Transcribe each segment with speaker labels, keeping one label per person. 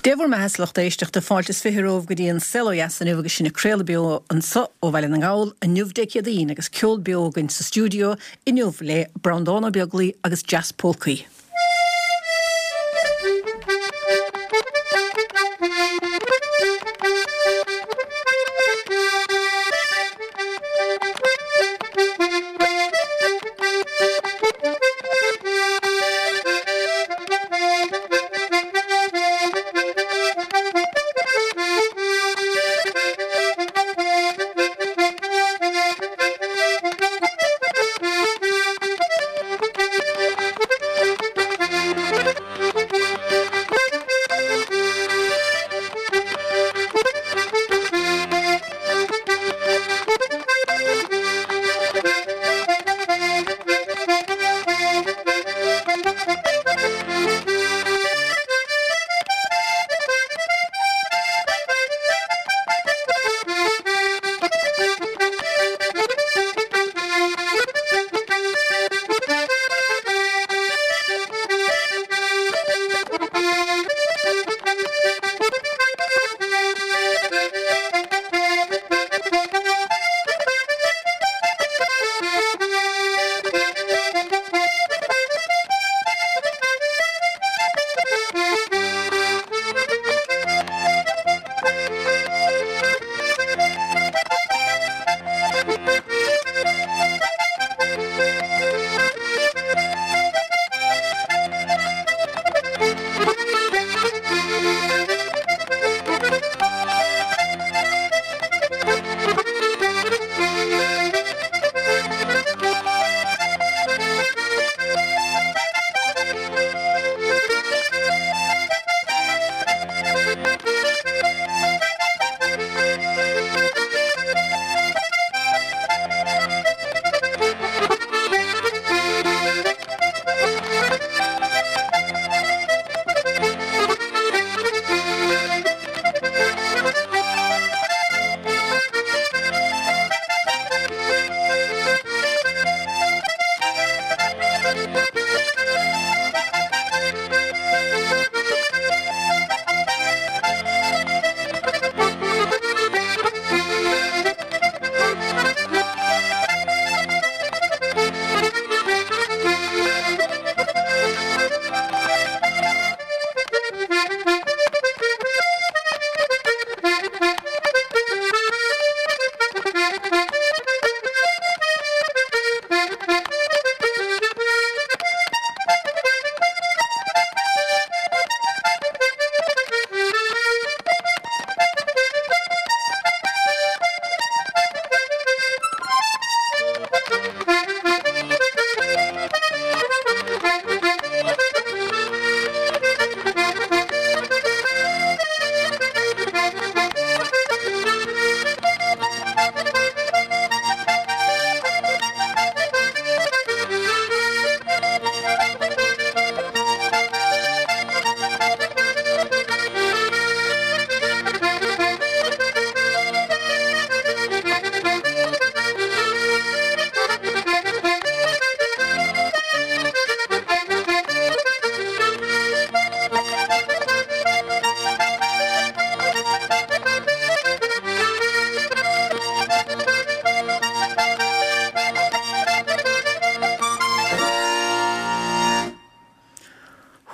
Speaker 1: Dé bhur mbeatha, a lucht éisteachta, fáilte is 20 romhaibh go dtí an Saol Ó Dheas inniu agus sinn ag craoladh beo anso ó Bhaile na nGall inniu Dé Céadaoin agus ceol beo againn sa stiúideo inniu le Breandán Ó Beaglaoi agus Jazz Pólcaí.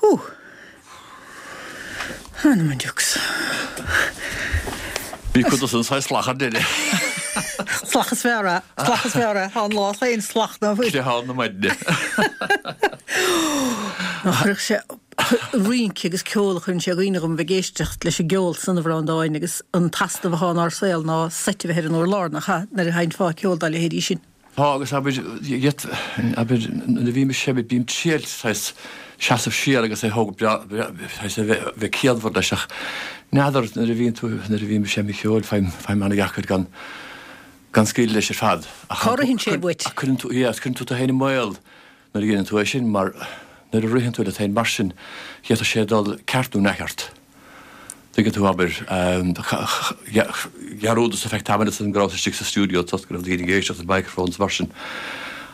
Speaker 1: Hú! Anam an diucs.
Speaker 2: Bhí cuid dos an saghas slach ar deireadh.
Speaker 1: Slach is fearr é. Slach is fearr é. Tá an lá féin slach ná fuil.
Speaker 2: Creathán na maidne.
Speaker 1: Nach chuirfeadh sé rince agus ceol a chuireann sé i gcuimhne dhom a bheith ag éisteacht leis an gceol san a Bhreandáin agus an t-easnamh atá inár saol ná seit a bheith ar an urlár, nach ea, nuair a sheinnfeá ceol dá leithéidí sin.
Speaker 2: Tá, agus abair, gheit, abair, nuair a bhím ag seinm, bím ag triail saghas seasamh siar agus é thóg breá, saghas a bheith, bheith ciallmhar leis ach n'fheadar, nuair a bhíonn tú, nuair a bhím ag seinm cheoil, faighim, faighim an-dheacair gan, gan scaoileadh leis ar fad.
Speaker 1: Ach Cá ritheann sé uait?
Speaker 2: Ach cuireann tú, yeah, cuireann tú tú féin i mbaol nuair a dhéanann tú é sin mar nuair a ritheann tú leat féin mar sin, d'fhéadfadh sé dul ceart nó neamhcheart. Tuigeann tú, abair, dhearúdas ar feadh tamaill ansan go rabhas istigh sa stiúideo toisc go raibh daoine ag éisteacht le microphones mar sin.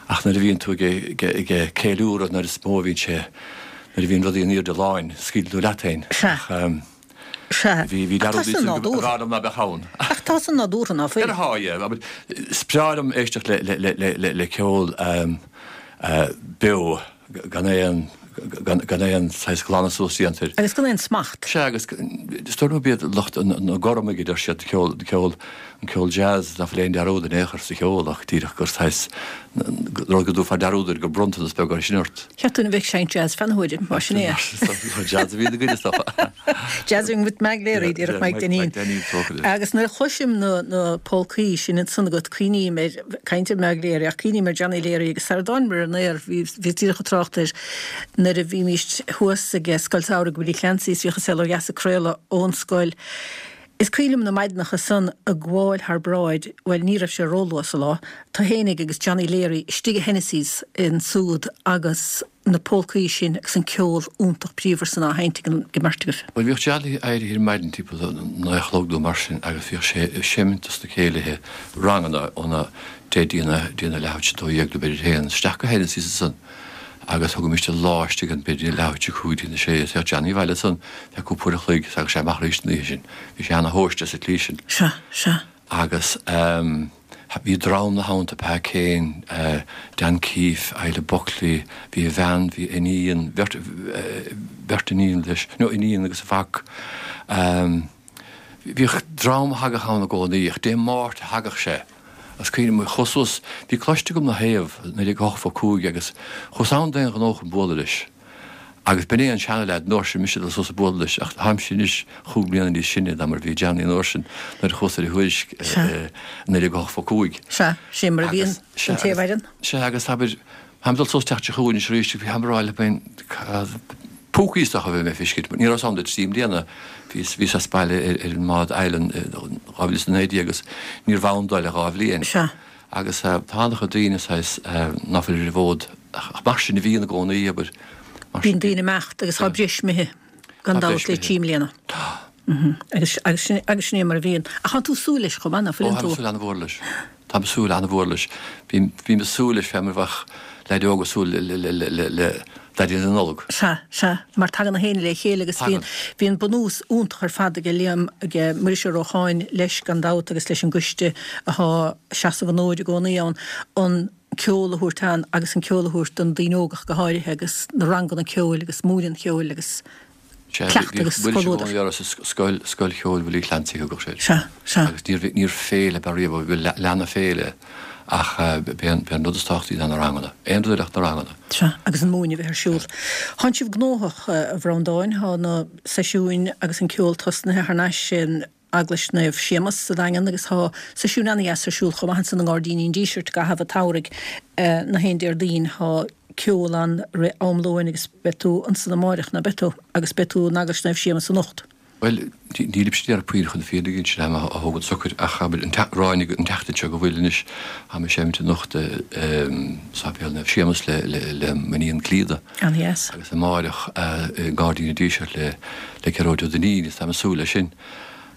Speaker 2: Ach nuair a bhíonn tú ag ceiliúradh, nuair is mó a bhíonn sé, nuair a bhíonn rudaí in airde láin, scaoileann tú leat féin.
Speaker 1: Sea. Sea.
Speaker 2: Bhí, bhí
Speaker 1: Ach tá
Speaker 2: dearúd
Speaker 1: san
Speaker 2: níos
Speaker 1: nádúrtha.
Speaker 2: b'fhearr liom ná beadh ann.
Speaker 1: Ach tá san nádúrtha, ná fuil?
Speaker 2: Ar thá, yeah. Abair, is breá liom éisteacht le, le, le, le, le, le ceol beo gan aon, gan, gan aon saghas glanadh suas déanta air.
Speaker 1: Agus gan aon smacht.
Speaker 2: Sea, agus is dóigh liom gurb iad lucht na gormaigh a deir siad, ceol, ceol, an ceol jazz, ná fuil aon dearúd in aon chor sa cheol ach díreach gur saghas rud go dtabharfá dearúd air, gur bronntanas beag é sin ort.
Speaker 1: Cheap tú a bheith ag seinnt jazz feadh na huaire, mar sin é.
Speaker 2: Jazz a bhí ina gcuid is dócha.
Speaker 1: Jazzing with Mag Leary, díreach Mike Dineen. Agus nuair a chloisim na na polcaí sin ansan agat, cuimhním ar, caint ar Mag Leary, ach cuimhním ar Johnny Leary agus sara dtánamar ar an aer, bhí bhíos díreach ag trácht air nuair a bhímíst thuas ag Scoil Samhraidh Willie Clancy's, bhíodh An Saol Ó Dheas ag craoladh ón scoil. Is cuimhin liom na maidineacha san ag gabháil thar bráid, bhuel ní raibh sé róluath sa lá, tú fhéinig agus Johnny Leary istigh i Hennessy's ansúd agus na polcaí sin agus an ceol iontach bríomhar san á sheinnt ag an mbeirt agaibh.
Speaker 2: Bhuel bhíodh Johnny éirithe ar maidin timpeall a naoi a chlog nó mar sin agus bhíodh sé ag seimint dos na céilithe ranganna óna deich dtína dtína leathuair tar éis a dó dhéag nó b'fhéidir a haon isteach go Hennessy's ansan. agus thugaimist an lá istigh ann b'fhéidir leathuair tar éis a cúig dtína sé is théadh Johnny abhaile ansan fé cúpla uair a chloig is thagadh sé amach arís an oíche sin. Bhí sé ana-thomhaiste sa tslí sin.
Speaker 1: Sea, sea.
Speaker 2: Agus ehm bhí dream ina theannta, Pa Kane, eh Dan Keefe, Isla Buckley, bhí a bhean, bhí iníon, bheirt, beirt iníon leis, no iníon agus a mhac. Ehm bhíodh dream a thagadh ann i gcónaí ach Dé Máirt a thagadh sé. Is cuimhin liom, chuas suas, bhí cloiste agam 'na thaobh, 1985 agus chuas ann d'aon ghnó chun bualadh leis. Agus b'in é an seana-leaid an uair sin, mise ag dul suas ag bualadh leis, ach táimse anois chúig bliana níos sine ná mar a bhí Johnny an uair sin nuair a chuas ar a thuairisc i 1985.
Speaker 1: Sea, sin mar a bhíonn an té a mhaireann.
Speaker 2: Sea, agus abair, Táim ag dul suas teacht seo chugainn anois arís agus bhí ag rá le féin púcaí is dócha a bhí mé ag feiscint. Ní raibh 's agam le trí mbliana. Bhíos bhíos as baile ar ar an mbád Island i 2019 agus níorbh ann dó le dhá bhliain.
Speaker 1: Sea.
Speaker 2: Agus tá an-chuid daoine saghas ná fuil ar an bhfód ach mar sin a bhíonn i gcónaí, abair.
Speaker 1: Mar sin. Bíonn daoine ag imeacht agus tá breis imithe gan dabht le trí mbliana.
Speaker 2: Tá.
Speaker 1: Agus agus sin agus sin é mar a bhíonn. Ach tá tú ag súil leis chomh maith, ná
Speaker 2: fuileann tú? Ó, táim ag súil an-mhór leis. Táim ag súil an-mhór leis. Bím bím ag súil leis fé mar a bheadh leaid óg ag súil le le le le le le Daidí na Nollag.
Speaker 1: Sea, sea, mar tagann na héinne le chéile agus bíonn
Speaker 2: bíonn
Speaker 1: bunús iontach ar fad aige Liam, aige Muiris Ó Rócháin leis gan dabht agus leis an gcoiste athá seasamh an fhóid i gcónaí ann, an ceol a thabhairt ann agus an ceol a thabhairt do na daoine óga ach go háirithe agus na ranganna ceoil agus múineadh an cheoil agus
Speaker 2: Sea,
Speaker 1: cleachtadh
Speaker 2: bhíodh
Speaker 1: agus
Speaker 2: Muiris i
Speaker 1: comhluadar.
Speaker 2: gcónaí orthu sa scoil, Scoil Cheoil Willie Clancy a thugadh sé air.
Speaker 1: Sea, sea.
Speaker 2: Agus níor, níor féile ab ea riamh, bhuel, lean féile ach b'é an, b'é an rud is tábhachtaí ná na ranganna. Aon rud eile ach na ranganna.
Speaker 1: Sea, agus an múineadh a bheith ar siúl. Thánn sibh gnóthach, a Bhreandáin, thá na seisiúin agus an ceol tosnaithe thar n-ais in Eaglais Naomh Séamas sa Daingean agus thá seisiúin ana-dheas ar siúl chomh maith ansan i nGairdíní an Dísirt i gcaitheamh an tsamhraidh na haon Déardaoin. Thá ceol ann rith am lóin agus beidh tú ansan amáireach, ná beidh tú? Agus beidh tú in Eaglais Naomh Séamas anocht.
Speaker 2: Bhuel, nílimse ag déanamh puinn chun na fírinne a inse, táim á thógaint socair ach abair an ráinig an tseachtain seo go bhfuil anois, táim ag seimint anocht i Sáipéal Naomh Séamas le le m'iníon Clíodhna.
Speaker 1: An-dheas.
Speaker 2: Agus amáireach i nGairdín an Dísirt le le Gearóid Ó Duinnín is táim ag súil leis sin.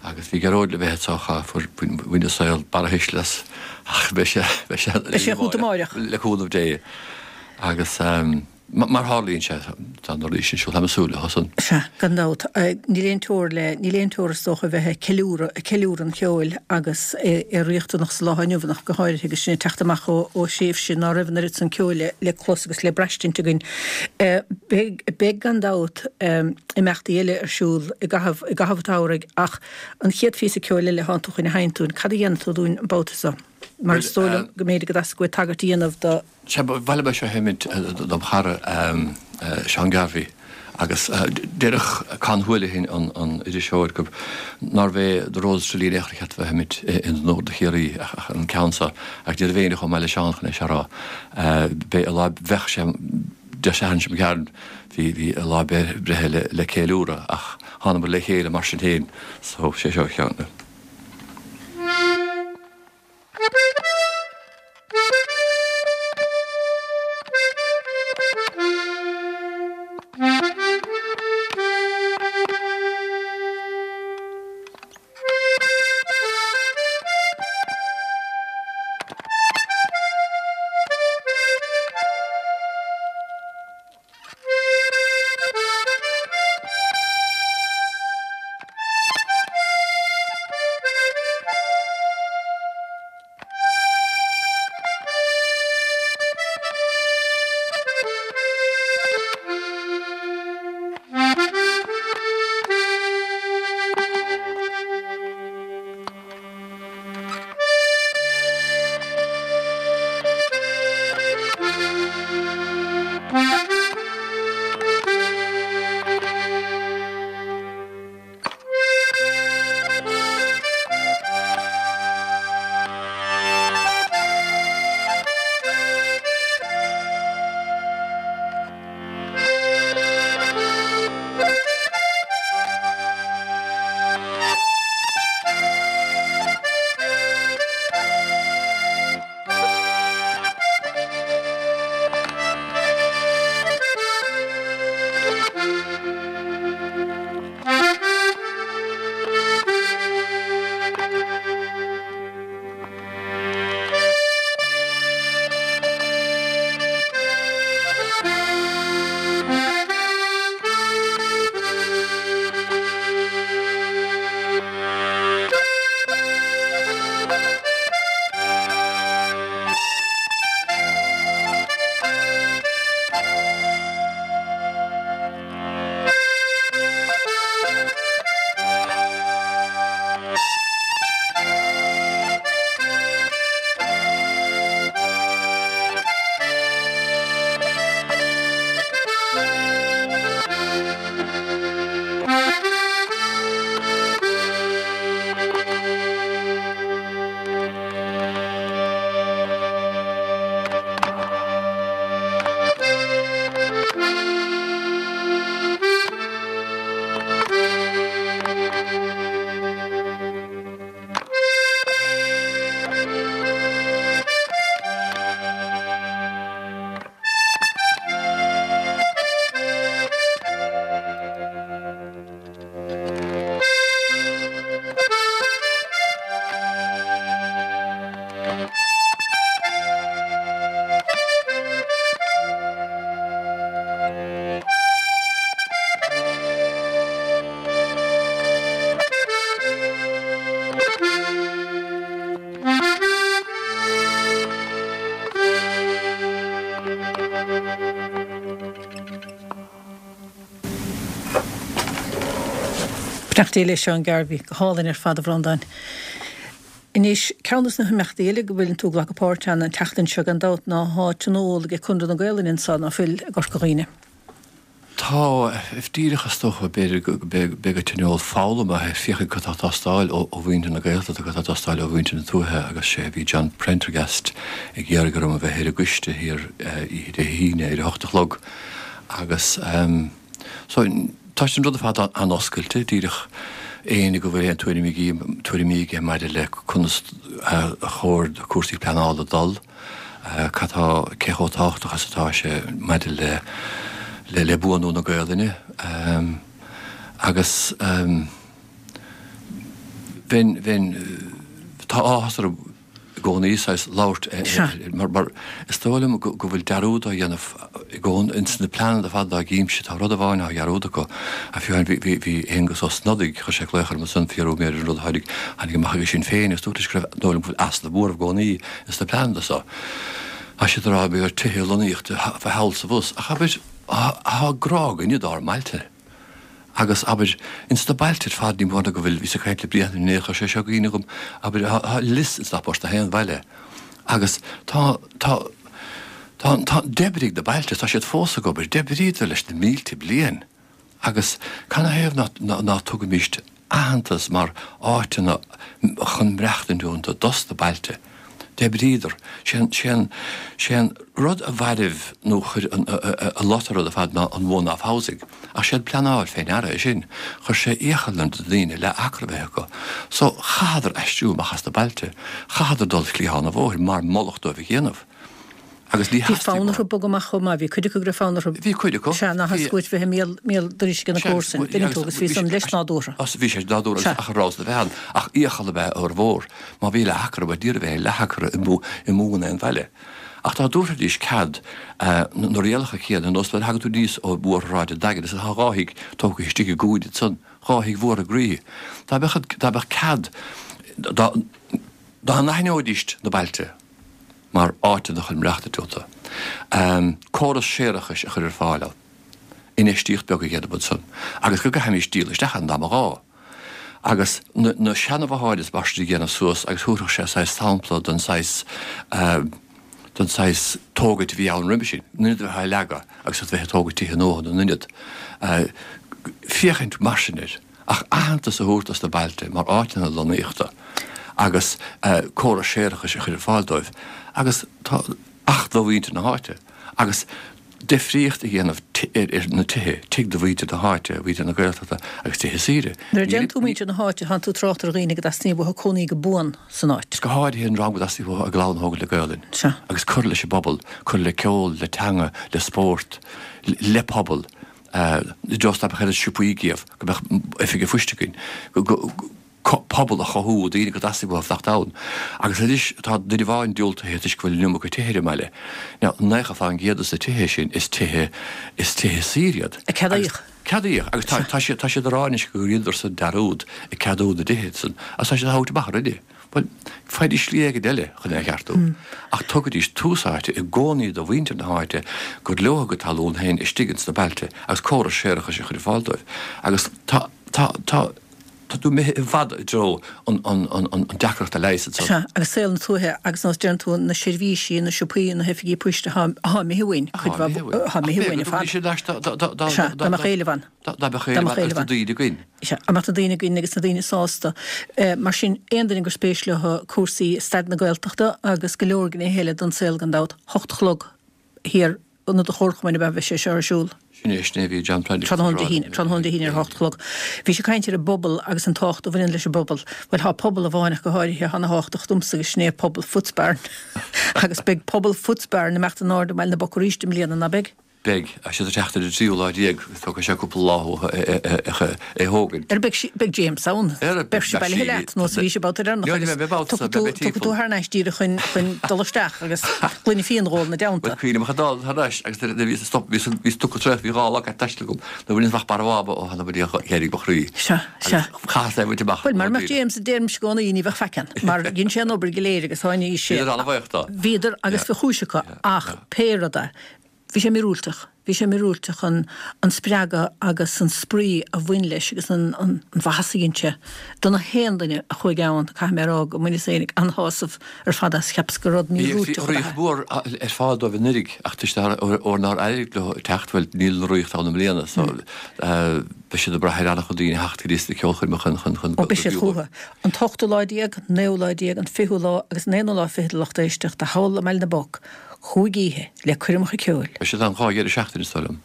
Speaker 2: Agus bhí Gearóid le bheith anseo ach fuair bhain an saol barrathuisle as ach beidh sé beidh sé
Speaker 1: Beidh sé chugat amáireach.
Speaker 2: Le cúnamh Dé. Agus mar tharlaíonn sé tá na rudaí sin siúl táim ag súil leo san.
Speaker 1: Sea, gan dabht. Níl aon teora le, níl aon teora is dócha a bheith ag ceiliúradh, ag ceiliúradh an cheoil agus é riachtanach sa lá inniu ach go háirithe agus sinn ag teacht amach ó ó thréimhse ná raibh an oiread san ceoil le le clos agus le braistint againn. Beidh, beidh gan dabht imeachtaí eile ar siúl i gcaitheamh, i gcaitheamh an tsamhraidh ach an chéad phíosa ceoil eile thánn tú chun a sheinnt dúinn, cad a dhéanfaidh tú dúinn an babhta seo? Mar is dóigh liom go mb'fhéidir go dteastódh uait tagairt a dhéanamh do.
Speaker 2: Sea, ba mhaith liom é seo a sheimint dom chara Seán Garvey agus déarfadh Con Houlihan an iriseoir gurb nárbh é The Rose of Tralee in aon chor a cheart a bheith á sheimint in onóir do Chiarraí ach an ceann seo ach ní raibh éinne chomh maith le Seán chun é seo a rá. B'é a lá bheadh sé Dé Sathairn seo chugainn bhí bhí a lá breithe le le ceiliúradh ach thánamar le chéile mar sin féin so sé seo a cheann.
Speaker 1: Beannacht Dé le Seán Garvey. Go hálainn ar fad, a Bhreandáin. Anois, ceann dos na himeachtaí eile go bhfuileann tú ag glacadh páirt ann an tseachtain seo gan dabht ná thá tionól ag Conradh na Gaolainne anso, ná fuil, i gCorca Dhuibhne.
Speaker 2: Tá, díreach is dócha, b'fhéidir go mbeidh an tionól foghlama ag féachaint cad tá ag teastáil ó mhuintir na Gaeltachta, cad tá ag teastáil ó mhuintir na tuaithe agus sé bhí John Prendergast ag iarraidh orm a bheith ar an gcoiste thiar oíche Dé hAoine ar a hocht a chlog agus so tá an rud ar fad an-oscailte, díreach éinne go bhfuil aon tuairimí aige maidir le conas a chóir do cúrsaí pleanála dul. Cad tá, cé chomh tábhachtach is atá sé maidir le le le buanú na Gaolainne agus bheinn, bheinn, tá áthas orm i gcónaí saghas labhairt mar, mar is dóigh liom go go bhfuil dearúd á dhéanamh i gcónaí ins na pleananna ar fad dá gcímse, tá rud amháin á dhearúd acu a fiú amháin bhí, bhí, bhí Aengus Ó Snodaigh, chuir sé glaoch orm ansan fiafraí mé ar an rud a tháinig, tháinig amach aige Sinn Féin agus dúirt leis go raibh, dóigh liom go bhfuil easnamh mór i gcónaí Ins na pleananna so, tá siad ag rá go mbeidh tithe lonnaíochta fá thall 's abhus, ach abair, thá grá againne dár mbailte. Agus, abair, ins na bailte ar fad ní mór ná go bhfuil, bhíos ag caint le Brian inné, chuir sé seo i gcuimhne dhom, abair, thá lios ins gach port aon bhaile. Agus tá, tá, tá, tá, d'oibrigh na bailte, tá siad fós ag obair, d'oibríodar leis na mílte bliain. Agus canathaobh ná tugaimíst aitheantas mar áiteanna chun maireachtaint iontu dos na bailte? D'oibríodar. Sé an rud a mhairbh nó chuir an lot ar rud ar fad ná an one-off housing. Ach sé an pleanáil fé ndeara é sin. Chuir sé iachall ar na daoine leath acra a bheith acu. So chaitheadar aistriú amach as na bailte. Chaitheadar dul cliathán an bhóthair mar moladh dóibh a dhéanamh.
Speaker 1: Agus ní Bhí fonn orthu bogadh amach chomh maith, bhí cuid acu go raibh fonn orthu.
Speaker 2: Bhí cuid acu.
Speaker 1: Sea, nach theastaigh uait bheith i mbéal, mbéal dorais ag na comharsain, dtuigeann tú, agus bhí san leis nádúrtha.
Speaker 2: Sea, bhí sé nádúrtha agus ach a raibh a bheith ann, ach iachall ab ea formhór. Má bhí leath acra, bhuel ní raibh aon leath acra i mBun aon bhaile. Ach dá dtabharfaidís cead na rialacha céanna, ar nós nuair a thagann tú aníos ó Bhóthar Shráid an Daingin, is tá dhá thigh tógtha istigh i gcúinne ansan, dhá thigh mhóra groí. Dá mbeadh, dá mbeadh cead, dá, dá n-aithneoidís na bailte, mar áiteanna chun maireachtaint iontu. Córas séarachais a chur ar fáil ann. Infheistíocht beag a dhéanamh ansan agus go gcaithfimís díol isteach ann dá mba ghá. Agus na seana-bhotháin is mar sin a dhéanamh suas agus thabharfadh sé saghas sampla den saghas den saghas tógaint a bhí ann roimhe sin, na n-ionad a bheith á leagadh agus a bheith ag tógaint tithe nua ina n-ionad. Féachaint mar sin air. Ach aitheantas a thabhairt dos na bailte mar áiteanna lonnaíochta agus córas séarachais a chur ar fáil dóibh agus tá ach do mhuintir na háite agus difríocht a dhéanamh ar na tithe, tigh do mhuintir na háite, mhuintir na Gaeltachta agus tithe saoire.
Speaker 1: Nuair a deireann tú muintir na háite, tánn tú ag trácht ar dhaoine go dteastaíonn uathu cónaí go buan san áit.
Speaker 2: Go háirithe an dream go dteastaíonn uathu a gclann a thógaint le Gaolainn agus cur leis an bpobal, cur le ceol, le teanga, le spórt, le pobal. Just dá mbeadh oiread siopaí agaibh, go mbeadh oifig an phoist againn, pobal a chothú, daoine go dteastaigh uathu fanacht ann. Agus anois tá duine amháin diúltaithe toisc go bhfuil an iomarca tithe ar an mbaile. Now, 90% de na tithe sin, is tithe, is tithe saoire iad.
Speaker 1: A ceadaíodh.
Speaker 2: Ceadaíodh. Agus tá, tá siad, tá siad ag rá anois gur dheineadar san dearúd ag ceadú na dtithe san. Agus tá siad á thabhairt amach already. Bhuel, faighidís slí éigin eile chun é a cheartú. Ach tugaidís tús áite i gcónaí do mhuintir na háite gur leo a gcuid talún féin istigh ins na bailte agus córas séarachais a chur ar fáil dóibh. Agus tá, tá, tá, tá tú imithe i bhfad i dtreo an, an, an, an deacracht a leigheas
Speaker 1: ansan. Sea, agus saol na tuaithe agus nós deireann tú na seirbhísí, na siopaí, na hoifigí poist atá, atá imithe uainn, cuid mhaith, atá imithe uainn ar fad. Sea, dá mbeadh éileamh ann.
Speaker 2: Dá mbeadh éileamh ann agus na daoine againn.
Speaker 1: Sea, dá mbeadh na daoine againn agus na daoine sásta. Mar sin, aon duine gur spéis leo cúrsaí staid na Gaeltachta agus go leor gnéithe eile den saol gan dabht, hocht a chlog thiar Ionad an Chomharchumainn ab ea a bheidh sé seo ar siúl.
Speaker 2: Sin é, sin é a bhí John Prendergast
Speaker 1: ag rá. Tráthnóna Dé hAoine ar a hocht a chlog. Bhís ag caint ar an bpobal agus an tábhacht a bhaineann leis an bpobal. Bhuel, tá pobal amháin ach go háirithe atá ana thábhachtach domsa agus sin é pobal Footsbarn. Agus beidh pobal Footsbarn ag imeacht in airde i mBaile na Poc arís i mbliana, ná beidh?
Speaker 2: Beidh. Tá siad ag teacht ar an tríú lá déag. Tógfaidh sé cúpla lá uathu é a thógaint.
Speaker 1: Ar beidh beidh James ann. Beidh sé bailithe leat nó bhí sé babhta deireanach agus tiocfaidh tú thar n-ais díreach chun chun dul isteach agus gloine fíon a dh'ól ina dteannta.
Speaker 2: Bhuel cuimhním ach ag dul thar n-ais agus nuair a bhíos ag stop bhíos bhíos tugtha traochta bhí dhá lá ag taisteal agam nuair a bhaineas amach Barra Mháma ó thána buidéal d'éirigh mo chroí.
Speaker 1: Sea, sea.
Speaker 2: Chaitheas é a bhaint amach.
Speaker 1: Bhuel mara mbeadh James a deirimse i gcónaí ní bheadh faic ann mar dhein sé an obair go léir agus tháinig sé.
Speaker 2: Bhíodar an-bhuíoch
Speaker 1: dó. Bhíodar agus bhí chúis acu ach pé rud é Bhí sé míorúilteach. Bhí sé míorúilteach an an spreagadh agus an spraoi a bhain leis agus an an mhaitheas a dhein sé do na haon duine a chuaigh ann. Caithfidh mé a rá go mbaineas féinig an-shásamh ar fad as. Cheapas gur rud
Speaker 2: míorúilteach
Speaker 1: ab
Speaker 2: ea
Speaker 1: é.
Speaker 2: Bhí rith mhór ar fad dóibh anuraidh ach toisc óir nár éirigh leo teacht, bhuel níl an rith ann i mbliana so beidh siad ag brath ar an-chuid daoine a theacht go dtí na ceolchoirmeacha chun chun
Speaker 1: Ó beidh siad chucu. An t-ochtú lá déag, naoú lá déag, an fichiú lá agus an aonú lá fichead a lucht éisteachta thall i mBaile na bPoc, Chúig oíche le coirmeacha ceoil.
Speaker 2: Beidh siad ann 2 dheireadh seachtaine is dóigh liom.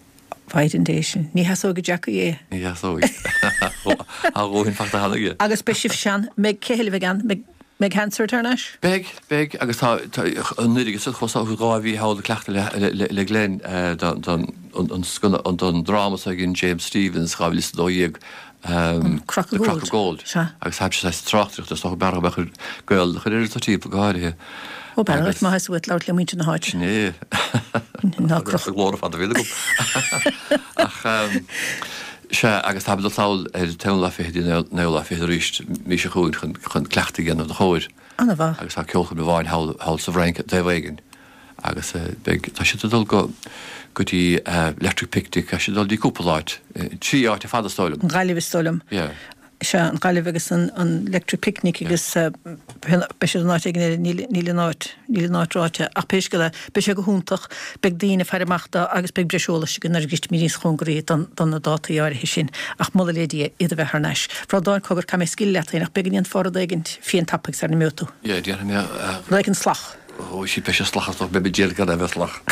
Speaker 1: Mhaighdean Dé sin. Ní sheasóidh Jackie é.
Speaker 2: Ní sheasóidh. Tá a dhóthain fachta cheana aige.
Speaker 1: Agus beidh sibh sean. Mbeidh, cé eile a bheidh ann? Mbeidh, mbeidh Hansard thar n-ais?
Speaker 2: Beidh, beidh agus tá, tá, anuraidh is chuas 2 mhí thall ag cleachtadh le, le, le Glenn don, don, an, an, don dráma s'againn James Stephens 2012.
Speaker 1: An Crock
Speaker 2: of
Speaker 1: Gold.
Speaker 2: The Crock of Gold.
Speaker 1: Sea.
Speaker 2: Agus tá sé saghas tráchtaireachta is dócha b'fhearr go mbeadh Gael a chur ar an timpeall go háirithe.
Speaker 1: Ó b'fhearr dhuit má theastaigh uait labhairt le muintir na háite.
Speaker 2: Sin é.
Speaker 1: Ná croch.
Speaker 2: An glór ar fad a bhíonn agam. Ach sea, agus táimid ag dul sall ar an t-aonú lá fichead an naoú lá fichead arís mí seo chugainn chun chun cleachtadh a dhéanamh dá chomhair.
Speaker 1: Ana-mhaith.
Speaker 2: Agus tá ceolchoirm amháin thall thall sa bhFrainc taobh éigin. Agus beidh, tá siad ag dul go, go dtí Electric Picnic, tá siad ag dul dtí cúpla áit, trí áit ar fad is dóigh liom.
Speaker 1: An Ghaillimh is dóigh liom.
Speaker 2: Yeah.
Speaker 1: Sea, an Ghaillimh agus an, an Electric Picnic agus beidh siad in áit éigin eile, níl, níl an áit, níl an áit ráite. Ach pé scéal é, beidh sé go hiontach, beidh daoine ag faire amach dó agus beidh breis eolais againn nuair a shroisfimid níos cóngaraí don, do na dátaí áirithe sin. Ach moladh le Dia iad a bheith thar n-ais. A Bhreandáin, cogar, caithfidh mé scaoileadh leat féin ach b'fhéidir go ndéanfá rud éigin fiain tapaidh sara n-imeoidh tú.
Speaker 2: Yeah, déanfaidh mé.
Speaker 1: Rud éigin salach.
Speaker 2: Ó, sí, beidh sé salach as beidh mé díreach gan a bheith salach.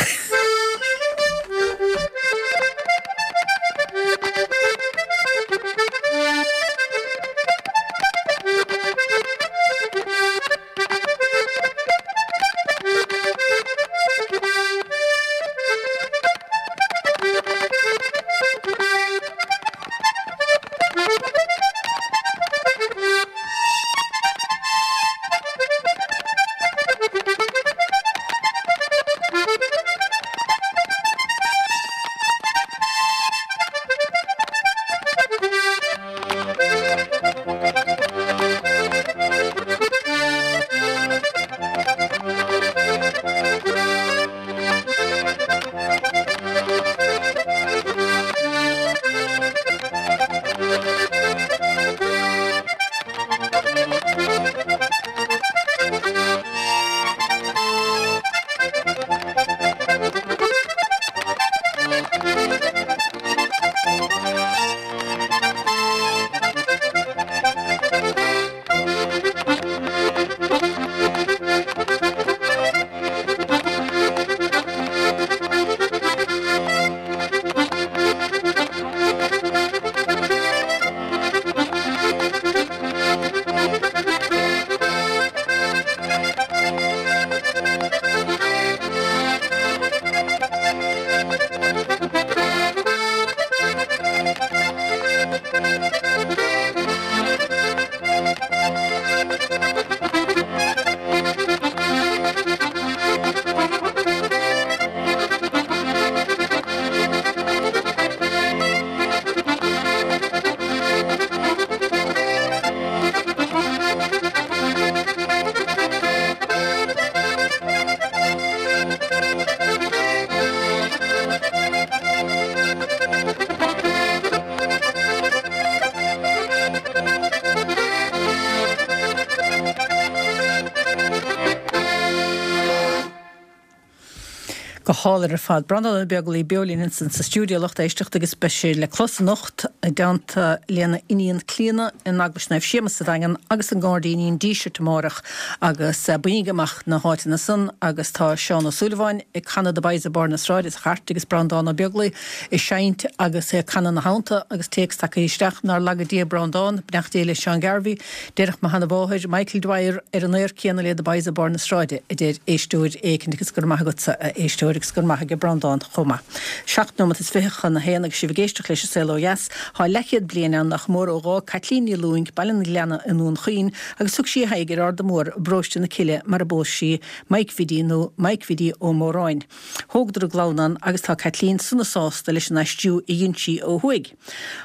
Speaker 1: Go hálainn ar fad. Breandán Ó Beaglaoi beo linn ansan sa stiúideo lucht éisteachta agus beidh sé le clos anocht i dteannta lena iníon Clíona in Eaglais Naomh Séamus sa Daingean agus i nGairdíní an Dísirt amárach agus bainígí amach na háiteanna san agus tá Seán Ó Súilleabháin ag canadh The Boys of Barr na Sráide sa chairt agus Breandán Ó Beaglaoi ag seinnt agus é ag canadh ina theannta agus téacs tagtha isteach nár laga Dia Breandán, beannacht Dé le Seán Garvey, Déarfadh mo sheana-mháthair, Michael Dwyer, ar an aer céanna le The Boys of Barr na Sráide, a deir éisteoir éicint agus go raibh maith agatsa, a éisteoir, agus go raibh maith aige Breandán chomh maith. Seacht nóimeat is fiche chun a haon agus sibh ag éisteacht leis an Saol Ó Dheas. Tá leathchéad bliain ann nach mór ó dh'fhág Caitlín Ní Lúing Baile an Ghleanna i nDún Chaoin agus thug sí a haghaidh ar Arda Mór i bparóiste na Cille mar a bpós sí Mike Bhiddy nó Mike Bhiddy Ó Móráin. Thógadar a gclann ann agus tá Caitlín sona sásta leis an aistriú a dhein sí ó thuaidh.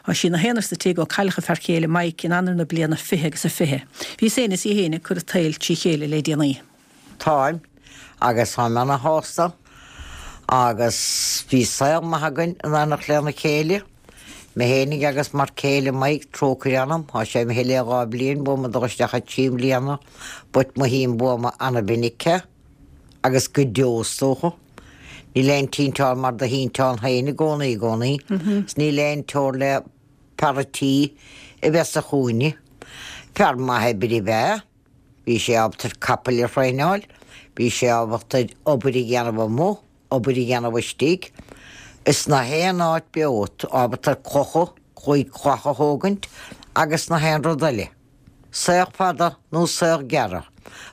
Speaker 1: Tá sí ina haonar sa tigh ó cailleadh a fear céile Mike in Eanáir na bliana 20 agus a 20. Bhí í féin is í féin ag cur an tsaoil trí chéile le déanaí.
Speaker 3: Táim, agus táim ana-shásta. Agus bhí saol maith againn in éineacht lena chéile, mé fhéinig agus m'fhear céile Mike, trócaire anam, thá sé imithe le 2 bliain uaim ag dul isteach ar 3 mbliana, but mothaím uaim ana-mhinic é, agus go deo is dócha. Níl aon tinteán mar do thinteán féin i gcónaí i gcónaí, 's níl aon teora le fear a' tí a bheith sa chúinne. Fear maith oibre ab ea. Bhí sé ábalta ar capaill a thraenáil, bhí sé ábalta ar obair a dhéanamh amuigh, obair a dhéanamh istigh, is na haon áit beo, ábalta ar clocha, claí cloch a thógaint agus na haon rud eile. Saol fada nó saol gearr,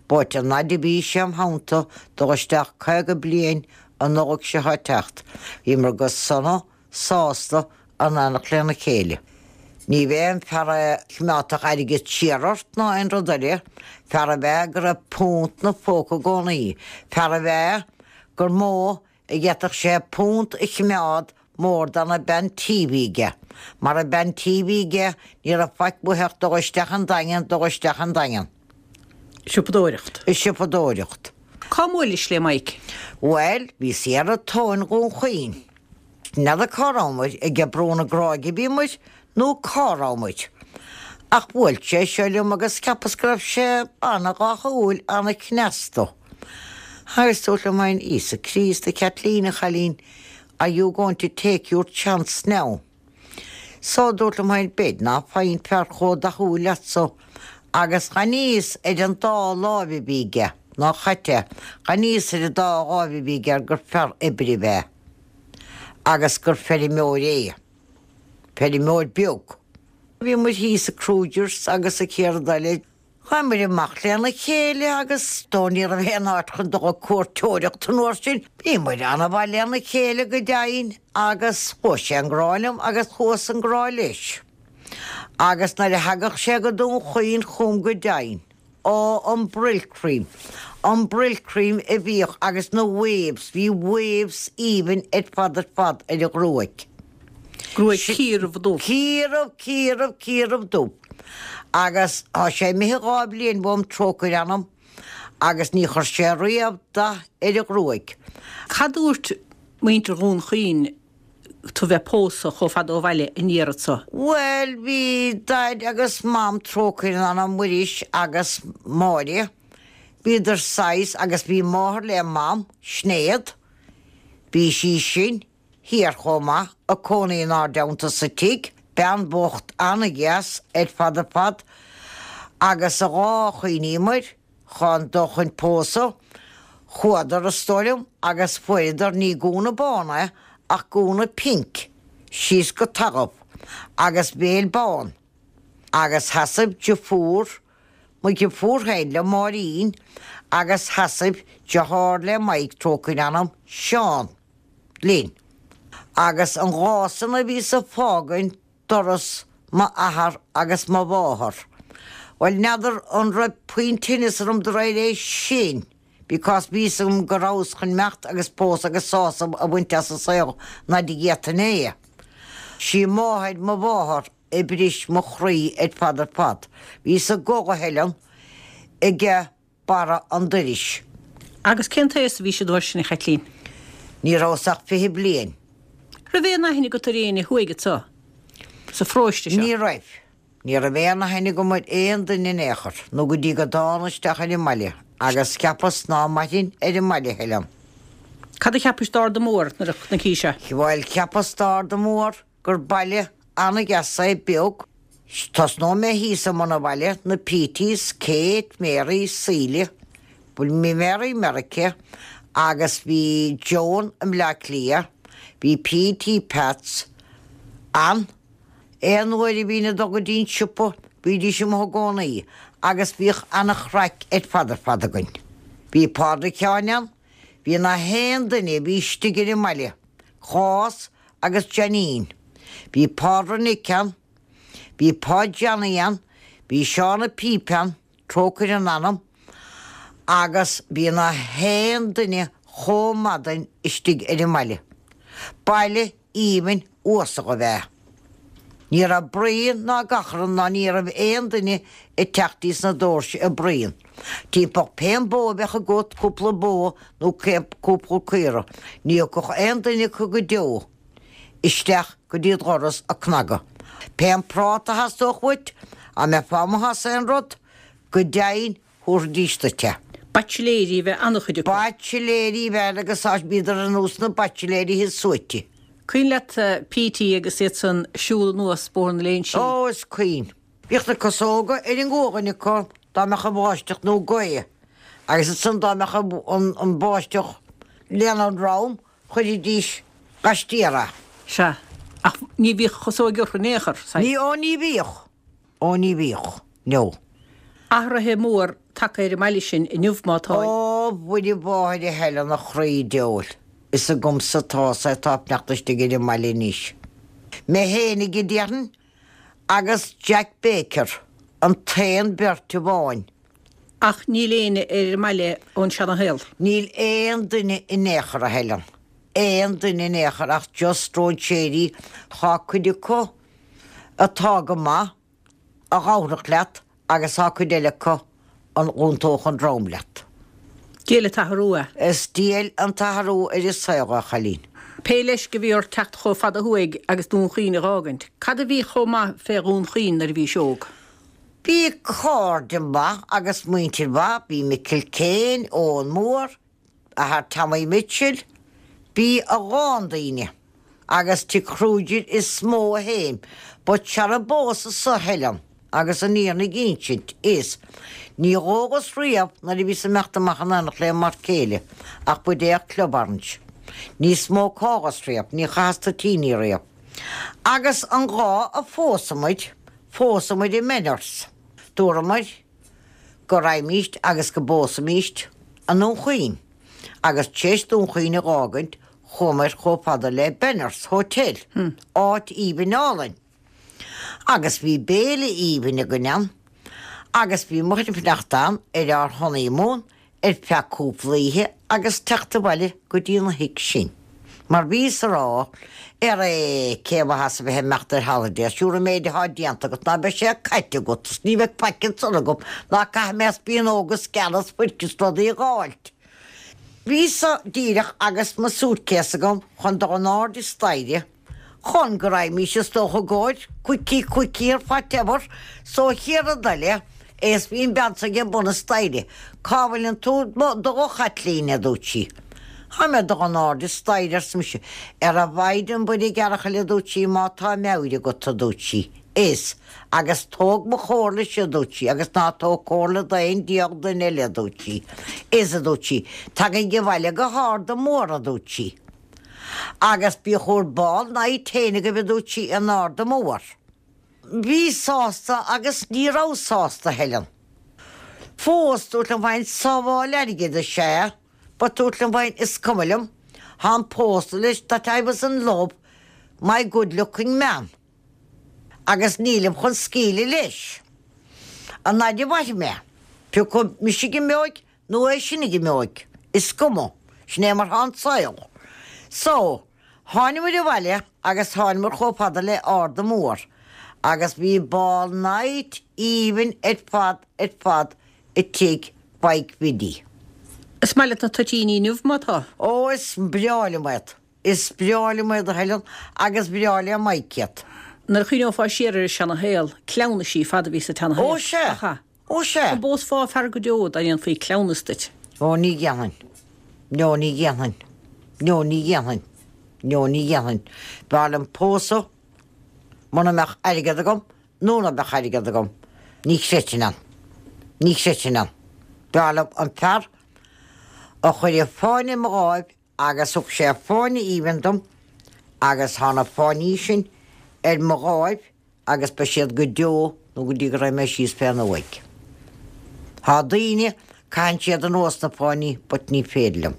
Speaker 3: but an fhaid a bhí sé im theannta, dul isteach 50 bliain an Nollaig seo ag teacht, bhíomar go sona, sásta in éineacht lena chéile. Ní b'é an fear a choimeádfadh airgead siar ort ná aon rud eile, fear ab ea go raibh punt 'na phóca i gcónaí, fear ab ea gur mó a d'fhéadfadh sé punt a choimeád mór dan an bean tí a bhí aige, mar an bean tí a bhí aige ní raibh faic uaithi ach dul isteach an Daingean, dul isteach an Daingean.
Speaker 1: Siopadóireacht.
Speaker 3: Siopadóireacht.
Speaker 1: Cá mbuailis le Mike?
Speaker 3: Bhuel, bhíos thiar i Tóin Dhún Chaoin. N'fheadar cá rabhamair, ag Brú na Gráige a bhíomair nó cá rabhamair. Ach bhuail sé seo liom agus cheapas go raibh sé ana-dhathúil, ana-chneasta. Agus dúrt liom féin, Íosa Críost, a Chaitlín, a chailín, are you going to take your chance now? So, dúrt liom féin, b'fhéidir ná faighinn fear chomh dathúil leatsa. Agus chan fhios ar an dá láimh a bhí aige, ná chaite, chan fhios ar an dá láimh a bhí aige gur fear oibre ab ea. Agus gur feirmeoir é. Feirmeoir beag. Bhí muid thíos i Kruger's agus sa chéad rud eile. Chuamair amach lena chéile agus dó ní raibh aon áit chun dul ag cuairteoireacht an uair sin. Bhíomair ana-mhaith lena chéile go deimhin agus chuaigh sé i ngrá liom agus chuas i ngrá leis. Agus nuair a thagadh sé go Dún Chaoin chugam go deimhin, ó an Brylcreem, an Brylcreem a bhíodh agus na waves, bhí waves aoibhinn ar fad ar fad ar a ghruaig.
Speaker 1: Gruaig ciarbh dubh.
Speaker 3: Ciarbh, ciarbh, ciarbh dubh. Agus tá sé imithe 2 bhliain uaim, trócaire anam, agus ní chuir sé riamh dath ar a ghruaig.
Speaker 1: Cad dúirt muintir Dhún Chaoin tú bheith pósadh chomh fada ó bhaile an iarraidh so?
Speaker 3: Bhuel, bhí Daid agus Mam, trócaire ar anam, Muiris agus Máire, bhíodar saghas, agus bhí máthair le Mam, Sinéad, bhí sí sin, thiar chomh maith, ag cónaí inár dteannta sa tigh, bean bhocht an-dheas ar fad ar fad, agus a dhá chuimhníomair chun dul chun pósadh, chuadar, is dóigh liom, agus fuaireadar ní gúna bán é ach gúna pinc, síos go talamh, agus béal bán, agus sheasaimh deirfiúr, mo dheirfiúr féin le Máirín, agus sheasaimh deartháir le Mike, trócaire ar anam, Seán. linn. Agus an lá san a bhíos ag fágaint doras m'athar agus mo mháthar, bhuel, n'fheadar an raibh puinn tinneas orm de réir é sin because bhí fhios agam go rabhas chun imeacht agus pósadh agus sásamh a bhaint as an saol an fhaid a d'fhéadfainn é. Sí máthair mo mháthar a bhris mo chroí ar fad ar fad. Bhíos ag gol a Helen ag. barra an doiris.
Speaker 1: Agus cén t-aos a bhís an uair sin, a Chaitlín?
Speaker 3: Ní rabhas ach 20 bliain.
Speaker 1: Raibh aon aithne agat ar éinne thuaidh anso, sa pharóiste seo?
Speaker 3: Ní raibh. Ní raibh aon aithne agam ar aon duine in aon chor, nó go dtí go dtána isteach ar an mbaile, agus cheapas ná mairfinn ar an mbaile, a Helen.
Speaker 1: Cad a cheapais d'Arda Mór nuair a chonaicis é?
Speaker 3: Bhuel, cheapas d'Arda Mór gur baile an-dheas é, beag. Tosnóidh mé thíos i mbun an bhaile, na Peaties, Kate, Mary, Síle, bhuel bhí Mary i Meiriceá agus bhí Joan i mBleá Cliath, bhí Petey Pats ann. Aon uair a bhínn ag dul go dtí an siopa bhídís amuigh i gcónaí agus bhíodh an-chraic ar fad ar fad againn. Bhí Pádraig Sheáin ann, bhí na haon duine a bhí istigh ar an mbaile, Clás agus Janine. Bhí Pádraig Nic ann, bhí Páid Johnny ann, bhí Seán a' Píp ann, trócaire ar anam, agus bhí na haon duine chomh maith istigh ar an mbaile. Baile aoibhinn uasal ab ea. Ní raibh braon ná gachrann ná ní raibh aon duine ag teacht dtíos na dóirse ag braon. Timpeall pén bó a bheadh agat, cúpla bó nó cúpla caora, ní thiocfadh aon duine acu go deo isteach go dtí do dhoras ag cnagadh. Pén práta a theastódh uait, dá mbeifeá amuigh as aon rud, go deimhin thabharfaidís duit é.
Speaker 1: Baitsiléirí a bheadh an-chuid acu.
Speaker 3: Baitsiléirí a bheadh agus bhíodar ar nós na baitsiléirí thíos suaite.
Speaker 1: Cuimhin leat Petey agus iad san siúl anuas Bóthar na Léinsí?
Speaker 3: Ó, is cuimhin. Bhíodh na casóga ar an gcuaghain acu dá mbeadh an bháisteach nó gaoth agus ansan dá mbeadh an bháisteach lena ndrom chuiridís laistiar é.
Speaker 1: Sea, ach ní bhíodh chasóig orthu in aon chor,
Speaker 3: saghas. Ní, ó ní bhíodh. Ó ní bhíodh, no.
Speaker 1: Athruithe mór tagtha ar an mbaile sin inniu má tá.
Speaker 3: Ó Mhuire Mháthair a Helen a chroí diabhail, is agamsa atá sé atá ag fanacht istigh ar an mbaile anois. Mé fhéinig a déarfainn agus Jack Baker an t-aon bheirt amháin.
Speaker 1: Ach níl éinne ar an mbaile ón seana-shaol.
Speaker 3: Níl aon duine in aon chor a Helen, aon duine in aon chor ach just stróinséirí, tá cuid acu atá go maith, a ghabharfadh leat agus tá cuid eile acu a dh'iontódh an droim leat.
Speaker 1: Diail an t-athrú é.
Speaker 3: Is diail an t-athrú ar an saol é, a chailín.
Speaker 1: Pé leisce a bhí ort teacht chomh fada thuaidh agus Dún Chaoin a dh'fhágaint, cad a bhí chomh maith fé Dhún Chaoin nuair a bhís óg?
Speaker 3: Bhí cairde maith agus muintir mhaith, bhí Micil Kane, Eoghan Mór, athair Tommy Mitchell, bhí a lán daoine agus tigh Kruger is mó a théim, but sara ar phósas-sa a Helen agus an fhírinne a insint is ní dh'ólas riamh nuair a bhíos ag imeacht amach in éineacht le m'fhear céile ach buidéal Club Orange. Ní smócálas riamh, ní chaitheas toitíní riamh. Agus an lá a phósadh muid, phósadh muid i Benners. Dúramar go raghaimíst agus go bpósfaimíst i nDún Chaoin, agus tar éis Dún Chaoin a dh'fhágaint chuamair chomh fada le Benners Hotel, áit aoibhinn álainn. Agus bhí béile aoibhinn againn ann, agus bhí muid ag fanacht ann ar ár honeymoon ar feadh cúpla oíche agus teacht abhaile go dtí an thigh sin. Mar bhíos a rá, Aré, cé mhaitheas a bheith ag imeacht ar holiday, sure an méid athá déanta agat ná beidh sé caite agat is ní bheidh faic ansan agam ná caithfidh mé spíonóga is sceana is fuirc is rudaí a dh'fháilt. Bhíos-sa díreach agus mo suitcase agam chun dul in airde staighre chun go raghaimís is dócha i gcomhair quickie quickie or whatever so chéad rud eile é is bhí an bean so ag bun an staighre cá bhfuileann tú ag dul a Chaitlín a dúirt sí. Tá mé ag dul in airde staighre arsa mise. Ar a Mhaighdean Mhuire ghearrchaile a dúirt sí má tá meabhair agat a dúirt sí. Is agus tóg mo chomhairle-se a dúirt sí agus ná tóg comhairle d'aon diabhal duine eile a dúirt sí. Is a dúirt sí tagaigí abhaile go hArda Mór a dúirt sí. Agus bíodh bhur ball night féin agaibh a dúirt sí in Arda Mór. Bhí sásta agus ní raibh sásta, Helen. Fós, dúirt liom féin, sábháil airgid is ea, but dúirt liom féin, is cuma liom, táim pósta leis that I was in love my good looking man agus nílim chun scaoileadh leis. An fhaid a mhairfidh mé, pé acu mise ag imeoidh nó é sin ag imeoidh, is cuma, sin é mar thá an saol. So, tháinimir abhaile agus tháinimir chomh fada le Arda Mór agus bhí ball night aoibhinn ar fad ar fad i tigh Mhaidhc Bhiddy.
Speaker 1: Is maith leat na toitíní inniu, má tá?
Speaker 3: Ó, is breá liom iad. Is breá liom iad, a Helen, agus breá le Mike iad.
Speaker 1: Nuair a chuimhneofá siar ar an seana-shaol, cleamhnaisí fada a bhí sa tseana-shaol.
Speaker 3: Ó, sea. Ach ea? Ó sea.
Speaker 1: An bpósfá fear go deo dá ndéanfaí cleamhnas duit?
Speaker 3: Ó ní dhéanfainn. No ní dhéanfainn. No ní dhéanfainn. No ní dhéanfainn. B'fhearr liom pósadh muna mbeadh airgead agam nó ná beadh airgead agam. Ní chreidfinn ann. Ní chreidfinn ann. B'fhearr liom an fear a chuirfeadh fáinne i mo dháimh agus thug sé fáinne aoibhinn dom agus tá na fáinní sin ar mo dháimh agus beidh siad go deo nó go dtí go raghaidh mé síos fén uaigh. Tá daoine, caitheann siad anuas na fáinní but ní féidir liom.